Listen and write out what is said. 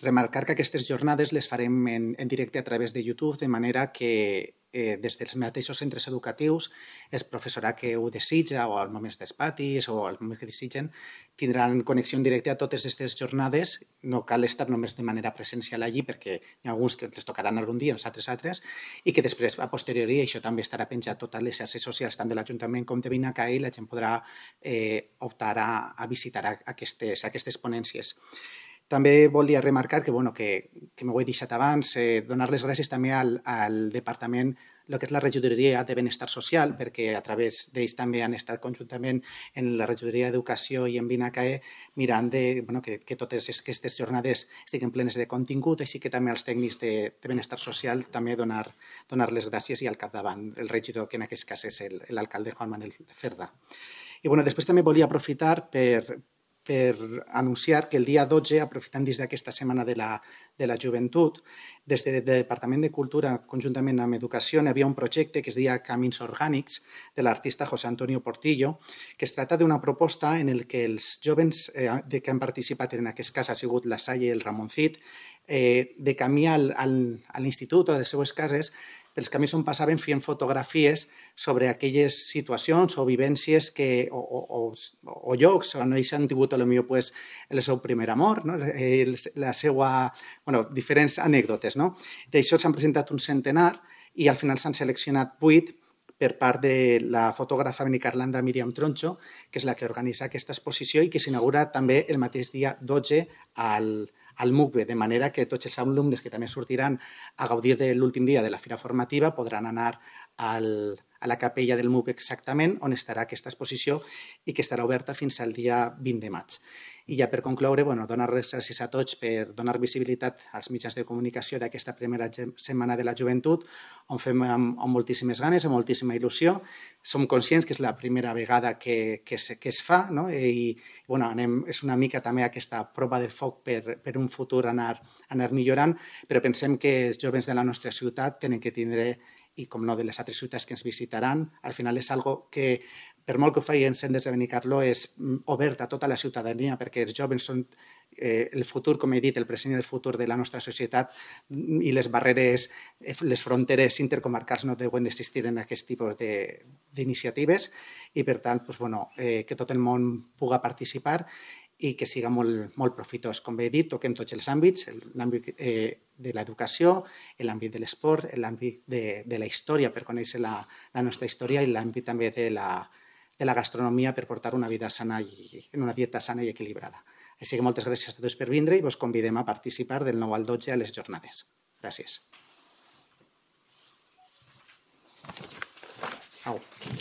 Remarcar que aquestes jornades les farem en directe a través de YouTube, de manera que des dels mateixos centres educatius el professorat que ho desitja o als moments dels patis o als moments que desitgen tindran connexió en directe a totes aquestes jornades. No cal estar només de manera presencial allí perquè hi ha alguns que els tocaran algun dia, els altres, i que després, a posteriori, això també estarà penjat a totes les xarxes socials, tant de l'Ajuntament com de Vinacai, i la gent podrà optar a visitar aquestes ponències. També volia remarcar que m'ho he deixat abans, donar les gràcies també al Departament, el que és la regidoria de Benestar Social, perquè a través d'ells també han estat conjuntament en la regidoria d'Educació i en Vinacai mirant que totes aquestes jornades estiguin plenes de contingut, així que també als tècnics de Benestar Social també donar les gràcies, i al capdavant el regidor, que en aquest cas és l'alcalde Juan Manuel Cerda. I després també volia aprofitar per anunciar que el dia 12, aprofitant dins d'aquesta setmana de la joventut, des del Departament de Cultura, conjuntament amb Educació, hi havia un projecte que es deia Camins Orgànics, de l'artista José Antonio Portillo, que es tracta d'una proposta en què els jovens que han participat, en aquest cas ha sigut la Salle i el Ramoncit, de camí a l'institut o a les seues cases, pels camins on passaven fent fotografies sobre aquelles situacions o vivències o llocs on ells han tingut potser el seu primer amor, la seva, diferents anècdotes. D'això s'han presentat un centenar i al final s'han seleccionat 8 per part de la fotògrafa benicarlanda Míriam Troncho, que és la que organitza aquesta exposició i que s'inaugura també el mateix dia 12 al MUCBE, de manera que tots els alumnes que també sortiran a gaudir de l'últim dia de la fira formativa podran anar a la capella del MUCBE exactament on estarà aquesta exposició i que estarà oberta fins al dia 20 de maig. I ja per concloure, donar les gràcies a tots per donar visibilitat als mitjans de comunicació d'aquesta primera setmana de la joventut, on fem amb moltíssimes ganes, amb moltíssima il·lusió. Som conscients que és la primera vegada que es fa, i és una mica també aquesta prova de foc per un futur anar millorant, però pensem que els joves de la nostra ciutat tenen que tindre, i com no de les altres ciutats que ens visitaran, al final és algo que, per molt que ho feien des de Benicarló, és obert a tota la ciutadania, perquè els joves són el futur, com he dit, el present i el futur de la nostra societat, i les barreres, les fronteres intercomarcals no deuen existir en aquest tipus d'iniciatives, i per tant que tot el món pugui participar i que siga molt profitós. Com bé he dit, toquem tots els àmbits, l'àmbit de l'educació, l'àmbit de l'esport, l'àmbit de la història per conèixer la nostra història i l'àmbit també de la gastronomia per portar una vida sana i en una dieta sana i equilibrada. Així que moltes gràcies a tots per vindre i vos convidem a participar del 9 al 12 a les jornades. Gràcies. Au.